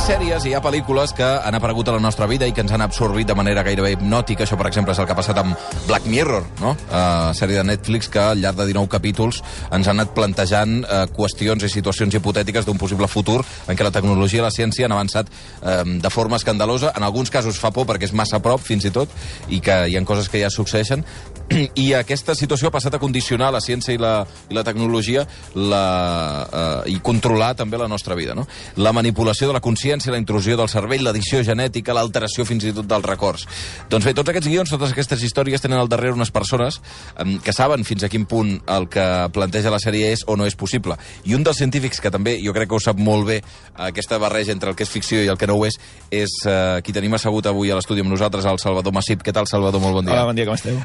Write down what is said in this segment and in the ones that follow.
sèries i hi ha pel·lícules que han aparegut a la nostra vida i que ens han absorbit de manera gairebé hipnòtica. Això, per exemple, és el que ha passat amb Black Mirror, no? Sèrie de Netflix que al llarg de 19 capítols ens han anat plantejant qüestions i situacions hipotètiques d'un possible futur en què la tecnologia i la ciència han avançat de forma escandalosa. En alguns casos fa por perquè és massa a prop, fins i tot, i que hi ha coses que ja succeeixen. I aquesta situació ha passat a condicionar la ciència i la tecnologia i controlar també la nostra vida, no? La manipulació de la consciència, la intrusió del cervell, l'addició genètica, l'alteració fins i tot dels records. Doncs bé, tots aquests guions, totes aquestes històries tenen al darrere unes persones que saben fins a quin punt el que planteja la sèrie és o no és possible. I un dels científics que també, jo crec que ho sap molt bé, aquesta barreja entre el que és ficció i el que no ho és qui tenim assegut avui a l'estudi amb nosaltres, el Salvador Massip. Què tal, Salvador? Molt bon dia. Hola, bon dia, com esteu?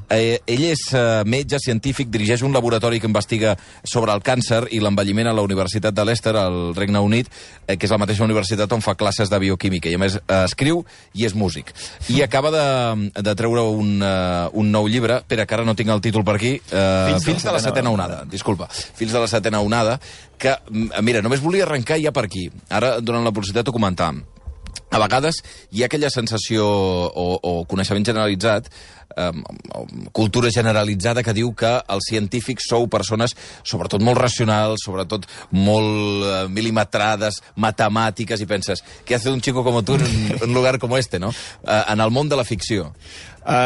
Ell és metge, científic, dirigeix un laboratori que investiga sobre el càncer i l'envelliment a la Universitat de Leicester, al Regne Unit, que és la mateixa universitat on fa classes de bioquímica. I a més escriu i és músic. I acaba de treure un nou llibre, espera, que ara no tinc el títol per aquí, Fills de la setena onada. Disculpa, Fills de la setena onada, que, mira, només volia arrencar ja per aquí. Ara, durant la publicitat, ho comentàvem. A vegades hi ha aquella sensació o coneixement generalitzat, cultura generalitzada que diu que els científics sou persones sobretot molt racionals, sobretot molt milimetrades, matemàtiques, i penses, què hace un chico como tú en un lugar como este, no? En el món de la ficció.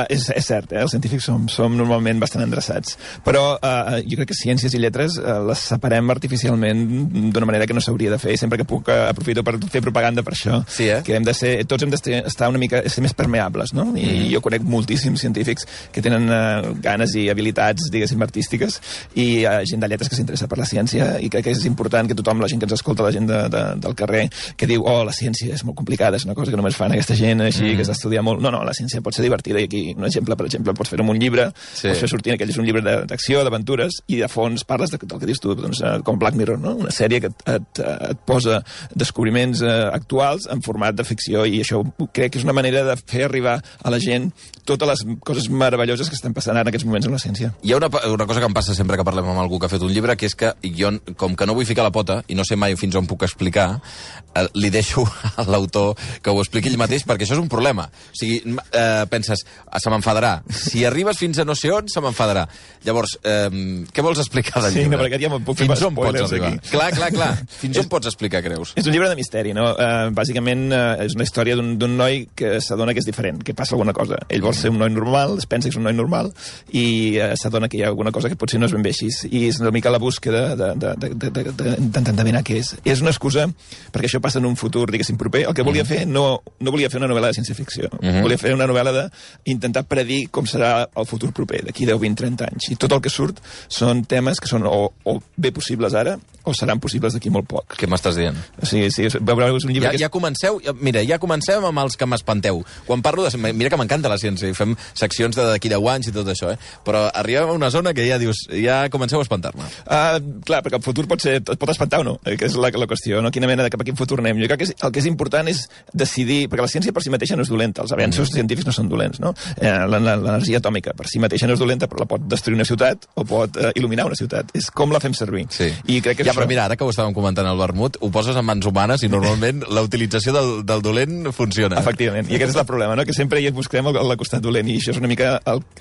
És cert, els científics som normalment bastant endreçats, però jo crec que ciències i lletres les separem artificialment d'una manera que no s'hauria de fer, i sempre que puc aprofito per fer propaganda per això, sí, que tots hem d'estar una mica, ser més permeables, no? I jo conec moltíssims científics que tenen ganes i habilitats, diguéssim, artístiques, i gent de lletres que s'interessa per la ciència, i crec que és important que tothom, la gent que ens escolta, la gent del carrer, que diu, la ciència és molt complicada, és una cosa que només fan aquesta gent així, que s'ha estudiat molt. No, la ciència pot ser divertida, i aquí un exemple, per exemple, pots fer amb un llibre, pots fer sortint, aquell és un llibre d'acció, d'aventures, i de fons parles del que dius tu, doncs, com Black Mirror, no? Una sèrie que et posa descobriments actuals en format de ficció, i això crec que és una manera de fer arribar a la gent totes les coses meravelloses que estan passant ara en aquests moments en la ciència. Hi ha una cosa que em passa sempre que parlem amb algú que ha fet un llibre, que és que jo, com que no vull ficar la pota, i no sé mai fins on puc explicar, li deixo a l'autor que ho expliqui ell mateix, perquè això és un problema. O sigui, penses, se m'enfadarà. Si arribes fins a no sé on, se m'enfadarà. Llavors, què vols explicar del llibre? Sí, no, perquè ja me'n puc fer fins on pots arribar? Aquí. Clar. Fins on pots explicar, creus? És un llibre de misteri, no? Bàsicament és una història d'un noi que s'adona que és diferent, que passa alguna cosa. Ell vol ser un noi normal, es pensa que és un noi normal, i s'adona que hi ha alguna cosa que potser no és ben bé així. I és una mica la búsqueda d'endevinar què és. És una excusa, perquè això passa en un futur, diguéssim, proper. El que volia fer, no volia fer una novel·la de ciència-ficció. Volia fer una novel·la d'intentar predir com serà el futur proper, d'aquí 10, 20, 30 anys. I tot el que surt són temes que són o bé possibles ara, o seran possibles d'aquí molt poc. Què m'estàs dient? Sí, veureu, és un llibre ja comencem amb els que m'espanteu. Quan parlo de... Mira que m'encanta la ciència, i fem seccions d'aquí 10 anys i tot això, però arribem a una zona que ja dius, ja comenceu a espantar-me. Clar, perquè el futur et pot espantar o no, que és la qüestió, no? Quina mena de cap a quin futur anem. Jo crec que el que és important és decidir, perquè la ciència per si mateixa no és dolenta, els avenços científics no són dolents, no? L'energia atòmica per si mateixa no és dolenta, però la pot destruir una ciutat o pot il·luminar una ciutat. És com la fem servir. Sí. I crec que però mira, ara que ho estàvem comentant al vermut, ho poses en mans humanes i normalment la utilització del dolent funciona. Efectivament, i aquest és el problema, no? Que sempre hi busquem el costat dolent, i això és una mica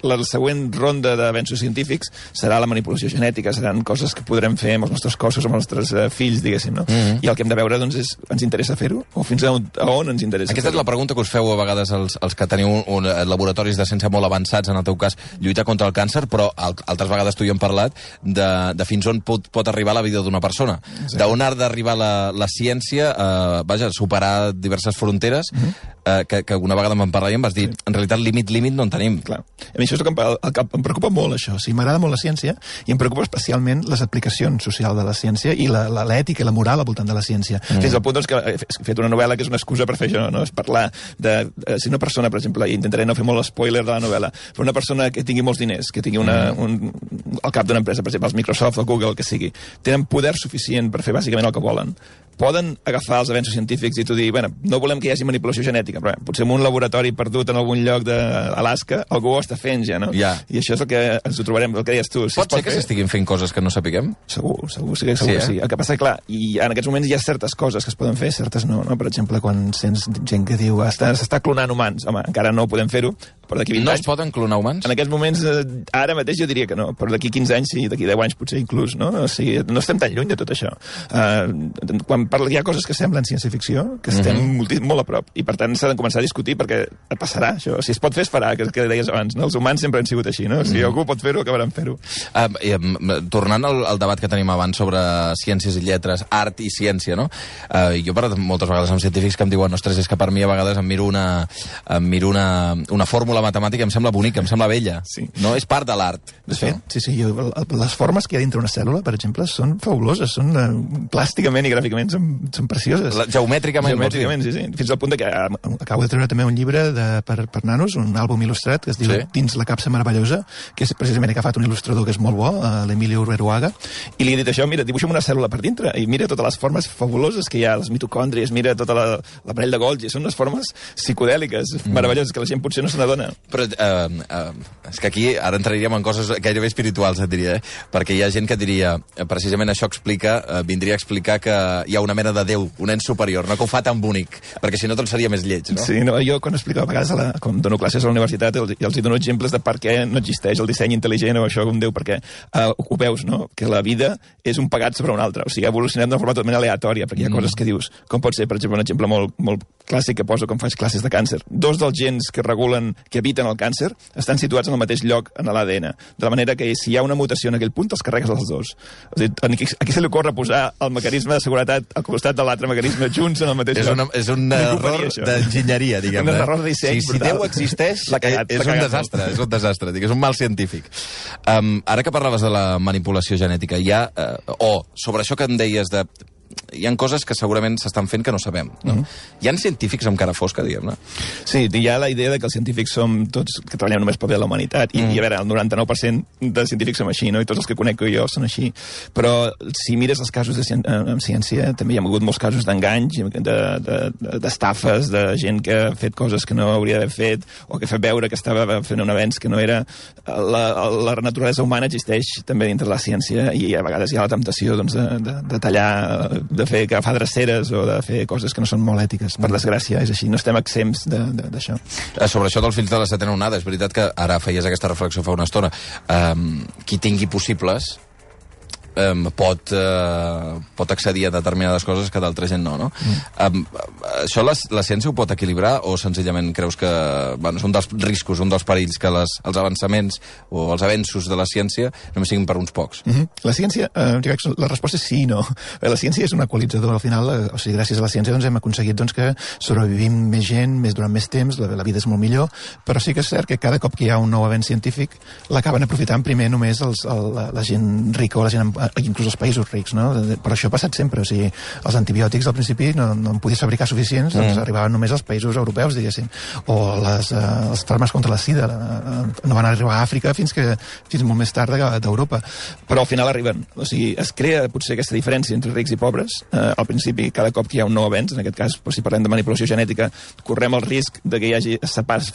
la següent ronda d'avenços científics serà la manipulació genètica, seran coses que podrem fer amb els nostres cossos, amb els nostres fills, diguéssim, no? I el que hem de veure, doncs, és, ens interessa fer-ho? O fins a on ens interessa Aquesta és la pregunta que us feu a vegades els que teniu laboratoris de ciència molt avançats, en el teu cas, lluitar contra el càncer, però altres vegades tu hi hem parlat de fins on pot arribar la vida d'una persona. D'on ha d'arribar la ciència a superar diverses fronteres, que una vegada em parlar i em vas dir, en realitat límit no en tenim. Clar. A mi això és el que em preocupa molt, això. O sigui, m'agrada molt la ciència i em preocupa especialment les aplicacions socials de la ciència i l'ètica i la moral al voltant de la ciència. Fins al punt doncs, que he fet una novel·la que és una excusa per fer això, no? És parlar de... si una persona, per exemple, i intentaré no fer molt spoiler de la novel·la, però una persona que tingui molts diners, que tingui al cap d'una empresa, per exemple, els Microsoft o Google, el que sigui, tenen poder suficient per fer bàsicament el que volen, poden agafar els avenços científics i tu dir, bueno, no volem que hi hagi manipulació genètica, però potser en un laboratori perdut en algun lloc d'Alaska algú ho està fent ja, no? Ja. I això és el que ens ho trobarem, el que deies tu. Pot ser que s'estiguin fent coses que no sapiguem? Segur que sí. El que passa, clar, i en aquests moments hi ha certes coses que es poden fer, certes no? Per exemple, quan sents gent que diu s'està clonant humans, home, encara no podem fer-ho, però d'aquí 20 anys... No es poden clonar humans? En aquests moments, ara mateix jo diria que no, però d'aquí 15 anys sí, d'aquí 10 anys potser inclús, no? O sigui, no estem tan lluny de tot això. Quan hi ha coses que semblen ciència-ficció, que estem molt a prop, i per tant s'ha de començar a discutir perquè passarà això. Si es pot fer, es farà, que deies abans, no? Els humans sempre han sigut així, no? Si algú pot fer-ho, acabaran fer-ho. Tornant al debat que tenim abans sobre ciències i lletres, art i ciència, no? Jo he parlat moltes vegades amb científics que em diuen, ostres, és que per mi a vegades em miro una fórmula matemàtica, em sembla bonica, em sembla bella. Sí. No? És part de l'art. De fet, sí, les formes que hi ha dintre una cèl·lula, per exemple, són fabuloses, són plàsticament i gràficament són precioses. Geomètricament, sí. Fins al punt que acabo de treure també un llibre per nanos, un àlbum il·lustrat que es diu Dins la capsa meravellosa, que és precisament agafat un il·lustrador que és molt bo, l'Emilio Uruaga, i li he dit això, mira, dibuixa'm una cèl·lula per dintre, i mira totes les formes fabuloses que hi ha, les mitocòndries, mira tota l'aparell de Golgi, són unes formes psicodèliques, meravelloses, que la gent potser no se n'adona. Però és que aquí ara entraríem en coses gairebé espirituals, et diria, perquè hi ha gent que diria, precisament això vindria a explicar que hi ha una mena de Déu, un ens superior, no que ho fa tan bonic, perquè si no tot seria més lleig, no? Sí, no, jo quan explico a vegades, quan dono classes a la universitat, els dono exemples de per què no existeix el disseny intel·ligent o això com Déu, perquè ho veus, no? Que la vida és un pagat sobre un altre, o sigui, ha evolucionat d'una forma totalment aleatòria, perquè hi ha coses que dius, com pot ser, per exemple, un exemple molt clàssic que poso quan faig classes de càncer. 2 dels gens que habiten el càncer estan situats en el mateix lloc en l'ADN, de la manera que si hi ha una mutació en aquell punt, els carregues els dos. O sigui, a qui se li ocorre posar el mecanisme de seguretat al costat de l'altre mecanisme junts en el mateix lloc? És un error d'enginyeria, diguem. Un error de disseny. Si Déu existeix, és un desastre, és un mal científic. Ara que parlaves de la manipulació genètica, sobre això que em deies de... Hi ha coses que segurament s'estan fent que no sabem, no? Hi ha científics amb cara fosca, diguem-ne? Sí, hi ha la idea de que els científics som tots que treballem només per bé de la humanitat, i a veure, el 99% de científics som així, no? I tots els que conec jo són així. Però si mires els casos en ciència, també hi ha hagut molts casos d'enganys, d'estafes, de gent que ha fet coses que no hauria d'haver fet, o que ha fet veure que estava fent un avenç que no era. La naturalesa humana existeix també dintre de la ciència, i a vegades hi ha la temptació de tallar, de fer agafar dreceres o de fer coses que no són molt ètiques. Per desgràcia, és així. No estem exempts d'això. Sobre això dels fills de la setena onada, és veritat que ara feies aquesta reflexió fa una estona. Qui tingui possibles pot accedir a determinades coses que d'altra gent no? Això la ciència ho pot equilibrar o senzillament creus que és un dels riscos, un dels perills que els avançaments o els avenços de la ciència només siguin per uns pocs? La ciència, la resposta és sí i no. La ciència és un equalitzador al final, o sigui, gràcies a la ciència hem aconseguit que sobrevivim més gent, durant més temps, la vida és molt millor, però sí que és cert que cada cop que hi ha un nou avenç científic l'acaben aprofitant primer només la gent rica o la gent inclús els països rics, no? Però això ha passat sempre, o sigui, els antibiòtics al principi no en podies fabricar suficients, doncs arribaven només als països europeus, diguéssim, o els fàrmacs contra la sida no van arribar a Àfrica fins molt més tard d'Europa, però al final arriben, o sigui, es crea potser aquesta diferència entre rics i pobres, al principi cada cop que hi ha un nou avenç, en aquest cas, si parlem de manipulació genètica, correm el risc de que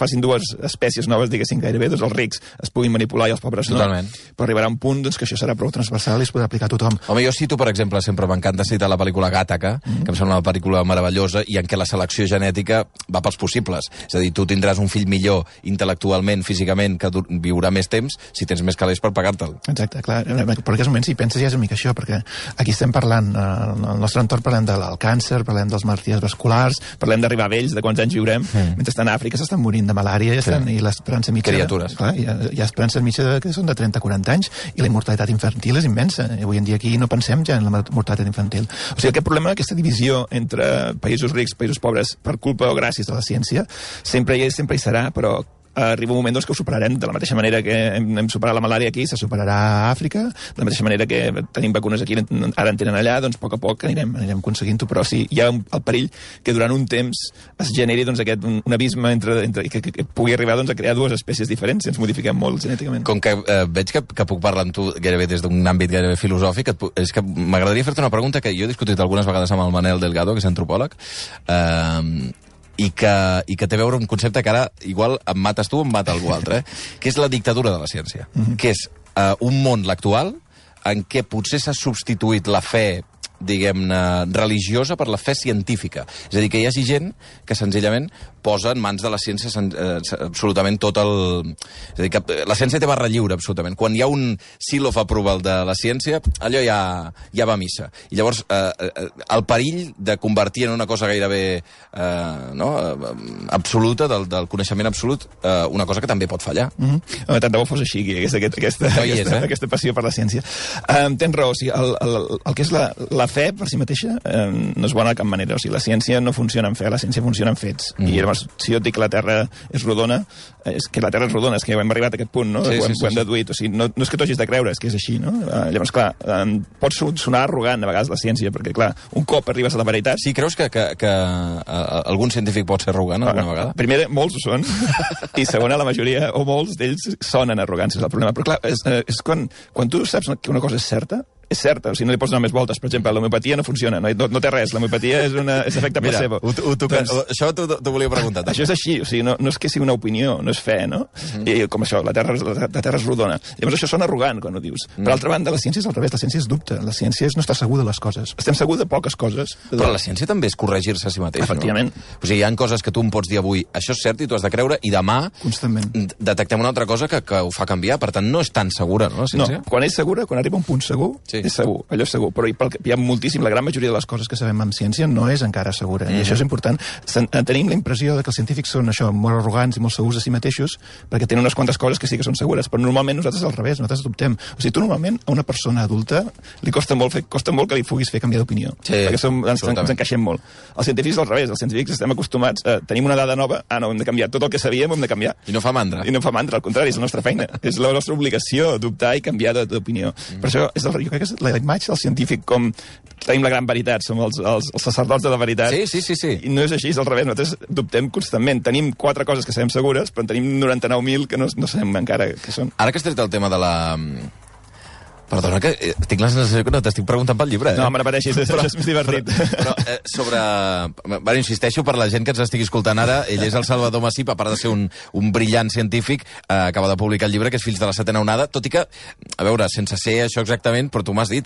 facin 2 espècies noves, diguéssim, gairebé, doncs els rics es puguin manipular i els pobres no. Totalment. Però arribarà un punt que això serà prou transversal i es podrà aplicar a tothom. Home, jo cito, per exemple, sempre m'encanta citar la pel·lícula Gàtaca, que em sembla una pel·lícula meravellosa i en què la selecció genètica va pels possibles. És a dir, tu tindràs un fill millor intel·lectualment, físicament, que viurà més temps si tens més calés per pagar-te'l. Exacte, clar. Per aquests moments, si penses, ja és una mica això, perquè aquí estem parlant, al nostre entorn parlem del càncer, parlem dels malalties vasculars, parlem d'arribar a vells, de quants anys viurem, mentre estan a Àfrica s'estan morint de malària i l'esperança mitja... Criatures. Clar, hi ha esperança mitja que són de 30-40 anys i la mortalitat infantil és immensa. Avui en dia aquí no pensem ja en la mortalitat infantil. O sigui, aquest problema, aquesta divisió entre països rics i països pobres per culpa o gràcies a la ciència, sempre hi és, sempre hi serà, però arriba un moment doncs, que ho superarem. De la mateixa manera que hem superat la malària aquí, se superarà a Àfrica, de la mateixa manera que tenim vacunes aquí, ara en tenen allà, doncs a poc a poc anirem aconseguint-ho, però sí, hi ha el perill que durant un temps es generi doncs, un abisme que pugui arribar doncs, a crear dues espècies diferents si ens modifiquem molt genèticament. Com que veig que puc parlar amb tu gairebé des d'un àmbit gairebé filosòfic, és que m'agradaria fer-te una pregunta que jo he discutit algunes vegades amb el Manel Delgado, que és antropòleg, i que té a veure un concepte que ara igual em mates tu o em mata algú altre, que és la dictadura de la ciència, que és un món, l'actual, en què potser s'ha substituït la fe, diguem-ne, religiosa per la fe científica. És a dir, que hi hagi gent que senzillament posa en mans de la ciència absolutament tot el... És a dir, que la ciència té barra lliure, absolutament. Quan hi ha un seal of approval de la ciència, allò ja va a missa. I llavors, el perill de convertir en una cosa gairebé absoluta, del coneixement absolut, una cosa que també pot fallar. Tant de bo fos així, aquesta passió per la ciència. Tens raó, o sigui, el que és la fe per si mateixa no és bona de cap manera. O sigui, la ciència no funciona en fe, la ciència funciona en fets. I llavors, si jo et dic que la Terra és rodona, és que la Terra és rodona, és que hem arribat a aquest punt, no? Ho hem deduït. O sigui, no és que t'ho hagis de creure, és que és així, no? Llavors, clar, pot sonar arrogant a vegades la ciència, perquè, clar, un cop arribes a la veritat... Sí, creus que algun científic pot ser arrogant alguna vegada? Primer, molts ho són, i segona, la majoria, o molts d'ells sonen arrogants, és el problema. Però, clar, és quan tu saps que una cosa és certa, o sigui, no li pots donar més voltes. Per exemple, l'homeopatia no funciona, no té res. L'homeopatia és efecte placebo. Mira, això t'ho volia preguntar. Això és així, o sigui, no és que sigui una opinió, no és fe, no? I com això, la Terra és rodona. Llavors això sona arrogant, quan ho dius. Per altra banda, la ciència és al revés, la ciència és dubte. La ciència és no estar segur de les coses. Estem segurs de poques coses. Però la ciència també és corregir-se a si mateix, efectivament. No? O sigui, hi ha coses que tu em pots dir avui, això és cert i tu has de creure, i demà constantment detectem una altra cosa que ho fa canviar. Per tant, no és tan segura, no, la ciència? No, quan és segura, quan arriba a un punt segur, és segur, allò és segur, però hi ha moltíssim, la gran majoria de les coses que sabem en ciència no és encara segura, i això és important. Tenim la impressió que els científics són això, molt arrogants i molt segurs de si mateixos, perquè tenen unes quantes coses que sí que són segures, però normalment nosaltres al revés, nosaltres dubtem. O sigui, tu normalment a una persona adulta li costa molt que li puguis fer canviar d'opinió, perquè ens encaixem molt. Els científics al revés, els científics estem acostumats a tenim una dada nova, no, hem de canviar, tot el que sabíem hem de canviar. I no fa mandra. Al contrari, és la nostra feina, és la nostra obligació dubtar i canviar d'opinió. Per això jo crec que és la imatge del científic com tenim la gran veritat, som els sacerdots de la veritat. Sí. I no és així, és al revés, nosaltres dubtem constantment. Tenim 4 coses que sabem segures, però en tenim 99.000 que no sabem encara què són. Ara que has tret el tema de la... Perdona, que tinc la sensació que no t'estic preguntant pel llibre. No, me n'apareixis, això és més divertit. Però sobre... Bueno, insisteixo per la gent que ens estigui escoltant ara, ell és el Salvador Massip, a part de ser un brillant científic, acaba de publicar el llibre, que és Fills de la setena onada, tot i que, a veure, sense ser això exactament, però tu m'has dit,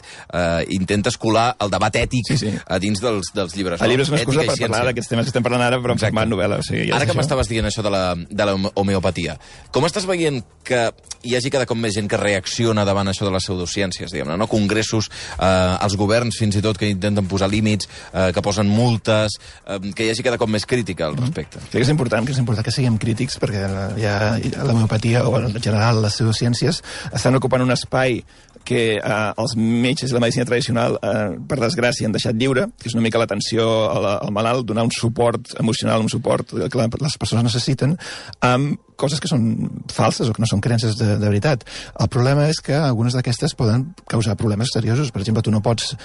intentes colar el debat ètic a dins dels llibres. El llibre és una excusa per parlar d'aquests temes que estem parlant ara, però en format novel·la. O sigui, ara que m'estaves dient això de la homeopatia, com estàs veient que hi hagi cada cop més gent que reacciona davant això de les pseudociències, diguem-ne, no? Congressos, els governs fins i tot que intenten posar límits, que posen multes, que hi hagi cada cop més crítica al respecte. Crec que és important que siguem crítics, perquè l'homeopatia o en general les pseudociències estan ocupant un espai que els metges i la medicina tradicional, per desgràcia, han deixat lliure, que és una mica l'atenció al malalt, donar un suport emocional, un suport que les persones necessiten, amb coses que són falses o que no són creences de veritat. El problema és que algunes d'aquestes poden causar problemes seriosos. Per exemple, tu no pots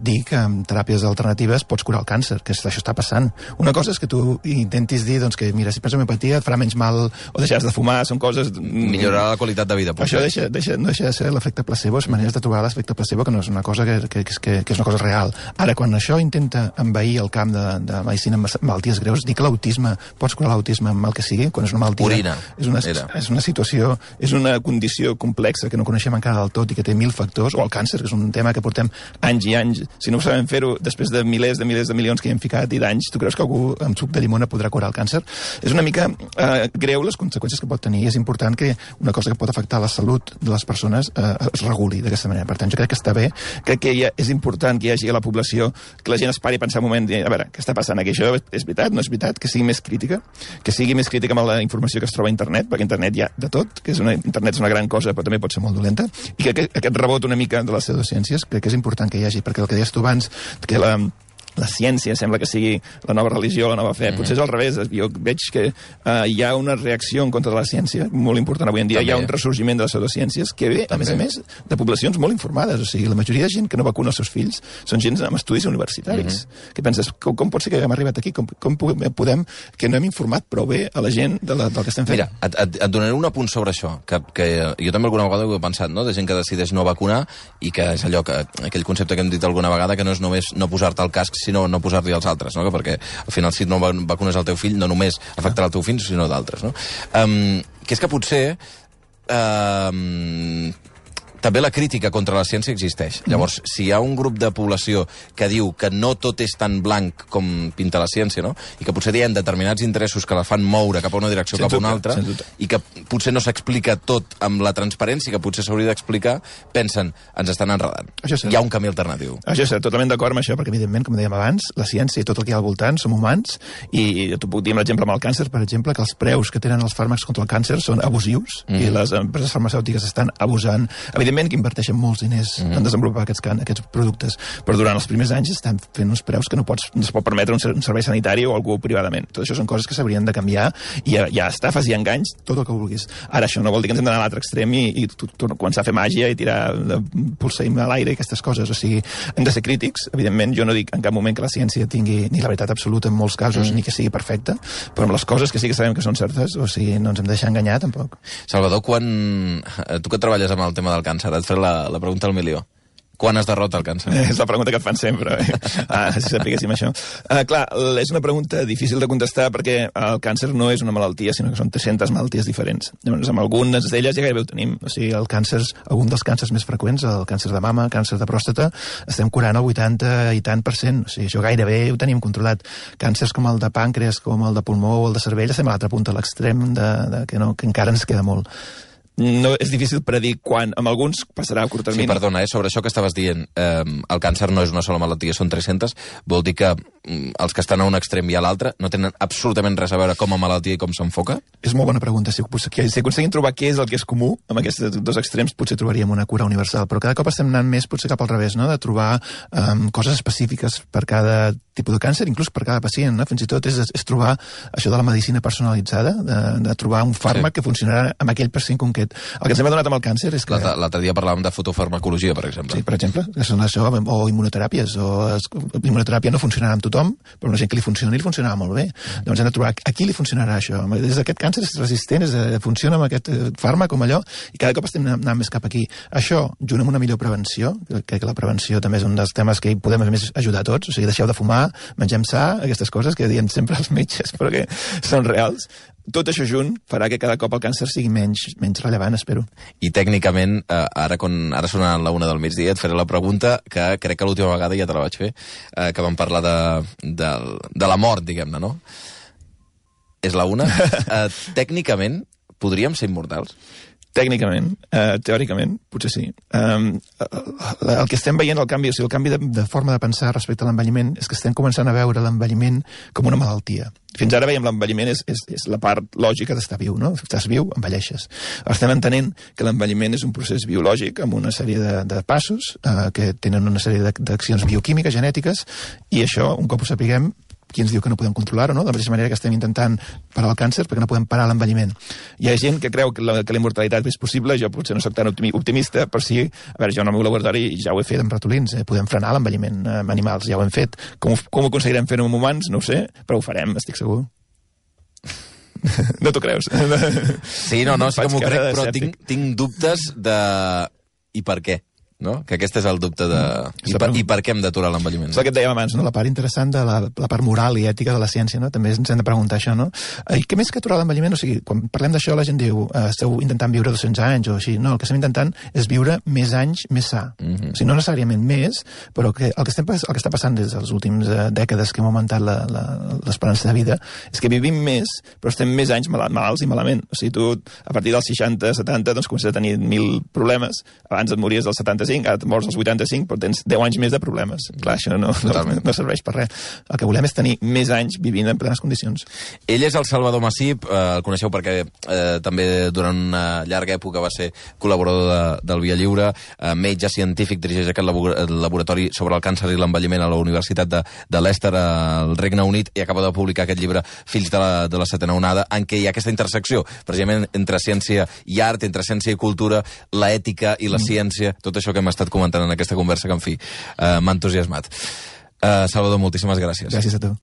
dir que amb teràpies alternatives pots curar el càncer, que això està passant. Una cosa és que tu intentis dir doncs, que, mira, si prens homeopatia et farà menys mal o deixaràs de fumar, són coses... Millorarà la qualitat de vida. Això no deixa de ser l'efecte placebo, és maneres de trobar l'efecte placebo, que no és una cosa que és una cosa real. Ara, quan això intenta envair el camp de medicina amb malalties greus, dir que l'autisme, pots curar l'autisme amb el que sigui, quan és una malaltia... Orina. És una situació, és una condició complexa que no coneixem encara del tot i que té 1000 factors, o el càncer, que és un tema que portem anys i anys. Si no ho sabem fer-ho després de milers de milions que hi hem ficat i d'anys, tu creus que algú amb suc de llimona podrà curar el càncer? És una mica greu les conseqüències que pot tenir. És important que una cosa que pot afectar la salut de les persones es reguli d'aquesta manera. Per tant, jo crec que està bé, crec que és important que hi hagi a la població, que la gent es pari a pensar un moment, a veure, què està passant aquí? Això és veritat? No és veritat? Que sigui més crítica amb la informació que es troba a internet, perquè internet hi ha de tot, internet és una gran cosa, però també pot ser molt dolenta, i que aquest rebot una mica de les pseudociències crec que és important que hi hagi, perquè el que deies tu abans, que la la ciència sembla que sigui la nova religió, la nova fe. Potser és al revés. Jo veig que hi ha una reacció en contra de la ciència molt important avui en dia. També. Hi ha un ressorgiment de les pseudociències que ve, a més, de poblacions molt informades. O sigui, la majoria de gent que no vacuna els seus fills són gent amb estudis universitaris. Que penses, com pot ser que hem arribat aquí? Com podem que no hem informat prou bé a la gent del que estem fent? Mira, et donaré un apunt sobre això, que jo també alguna vegada ho he pensat, no? De gent que decideix no vacunar i que és allò aquell concepte que hem dit alguna vegada, que no és només no posar-te el casc, sinó no posar-li als altres, no? Perquè al final si no vacunes el teu fill no només afectarà el teu fill, sinó d'altres, no? Que és que potser també la crítica contra la ciència existeix. Llavors, si hi ha un grup de població que diu que no tot és tan blanc com pinta la ciència, no? I que potser hi ha determinats interessos que la fan moure cap a una direcció cap a una altra, i que potser no s'explica tot amb la transparència que potser s'hauria d'explicar, pensen, ens estan enredant. Hi ha un camí alternatiu. Això és totalment d'acord amb això, perquè evidentment, com dèiem abans, la ciència i tot el que hi ha al voltant som humans, i t'ho puc dir amb l'exemple amb el càncer, per exemple, que els preus que tenen els fàrmacs contra el càncer són abusius, i les empreses farmacèutiques estan abusant. Evidentment que inverteixen molts diners en desenvolupar aquests productes, però durant els primers anys estan fent uns preus que no es pot permetre un servei sanitari o algú privadament. Tot això són coses que s'haurien de canviar, i hi ha estafes i enganys, tot el que vulguis. Ara, això no vol dir que ens hem d'anar a l'altre extrem i començar a fer màgia i tirar polseim a l'aire i aquestes coses. O sigui, hem de ser crítics. Evidentment, jo no dic en cap moment que la ciència tingui ni la veritat absoluta en molts casos, ni que sigui perfecta, però amb les coses que sí que sabem que són certes, o sigui, no ens hem de deixar enganyar, tampoc. Salvador, tu que treballes amb el tema del càncer, et faré la pregunta al milió. Quan es derrota el càncer? És la pregunta que et fan sempre. Si sapiguéssim això. Clar, és una pregunta difícil de contestar perquè el càncer no és una malaltia, sinó que són 300 malalties diferents. Llavors, amb algunes d'elles ja gairebé ho tenim. O sigui, algun dels càncers més freqüents, el càncer de mama, càncer de pròstata, estem curant el 80 i tant %. O sigui, això gairebé ho tenim controlat. Càncers com el de pàncreas, com el de pulmó o el de cervell, estem a l'altra punta, a l'extrem que encara ens queda molt. No, és difícil predir quan. Amb alguns passarà a curt termini. Sí, perdona, sobre això que estaves dient, el càncer no és una sola malaltia, són 300, vol dir que els que estan a un extrem i a l'altre no tenen absolutament res a veure com a malaltia i com s'enfoca? És molt bona pregunta. Si aconseguim trobar què és el que és comú amb aquests dos extrems, potser trobaríem una cura universal, però cada cop estem anant més potser cap al revés, no? De trobar coses específiques per cada tipus de càncer, inclús per cada pacient, no? Fins i tot és trobar això de la medicina personalitzada, de trobar un fàrmac que funcionarà amb aquell pacient concret. El que ens hem adonat amb el càncer és que... L'altre dia parlàvem de fotofarmacologia, per exemple. Sí, per exemple, que són això, o immunoteràpies, immunoteràpia no funcionarà amb tothom, però una gent que li funciona i li funcionarà molt bé. Llavors hem de trobar a qui li funcionarà això. Des d'aquest càncer és resistent, funciona amb aquest fàrmac, com allò, i cada cop estem anant més cap aquí. Això, junt amb una millor prevenció, crec que la prevenció també és un dels temes que hi podem a més ajudar a tots, o sigui, deixeu de fumar, mengem sa, aquestes coses que diem sempre els metges, però que són reals. Tot això junt farà que cada cop el càncer sigui menys rellevant, espero. I tècnicament, ara sona la 1 del migdia, et faré la pregunta que crec que l'última vegada ja te la vaig fer, que vam parlar de la mort, diguem-ne, no? És la 1. Tècnicament, podríem ser immortals? Tècnicament, teòricament, potser sí. El que estem veient, el canvi de forma de pensar respecte a l'envelliment, és que estem començant a veure l'envelliment com una malaltia. Fins ara veiem l'envelliment és la part lògica d'estar viu, no? Estàs viu, envelleixes. Estem entenent que l'envelliment és un procés biològic amb una sèrie de passos que tenen una sèrie d'accions bioquímiques, genètiques, i això, un cop ho sapiguem, qui ens diu que no podem controlar-ho, no? De la mateixa manera que estem intentant parar el càncer perquè no podem parar l'envelliment. Hi ha gent que creu que la immortalitat és possible, jo potser no soc tan optimista, però sí, a veure, jo en el meu laboratori ja ho he fet amb ratolins, podem frenar l'envelliment amb animals, ja ho hem fet. Com ho aconseguirem fer-ho amb humans? No ho sé, però ho farem, estic segur. No t'ho creus? Sí, no, sí que m'ho crec, però tinc dubtes de... I per què? No? Que aquest és el dubte de... I per què hem d'aturar l'envelliment? És el que et dèiem abans, no? La part interessant de la part moral i ètica de la ciència, no? També ens hem de preguntar això, no? I què més que aturar l'envelliment? O sigui, quan parlem d'això la gent diu esteu intentant viure 200 anys o així. No, el que estem intentant és viure més anys més sa. O sigui, no necessàriament més, però el que està passant des de les últimes dècades que hem augmentat l'esperança de vida és que vivim més, però estem més anys malalts i malament. O sigui, tu a partir dels 60, 70, doncs comences a tenir 1.000 problemes. Abans et mories dels 70 65, ara mors als 85, però tens 10 anys més de problemes. Clar, això no serveix per res. El que volem és tenir més anys vivint en plenes condicions. Ell és el Salvador Massip, el coneixeu perquè també durant una llarga època va ser col·laborador del Via Lliure, metge científic, dirigeix aquest laboratori sobre el càncer i l'envelliment a la Universitat de Leicester, al Regne Unit, i acaba de publicar aquest llibre Fills de la setena onada, en què hi ha aquesta intersecció, precisament entre ciència i art, entre ciència i cultura, l'ètica i la ciència, tot això que hem estat comentant en aquesta conversa que, en fi, m'ha entusiasmat. Salvador, moltíssimes gràcies. Gràcies a tu.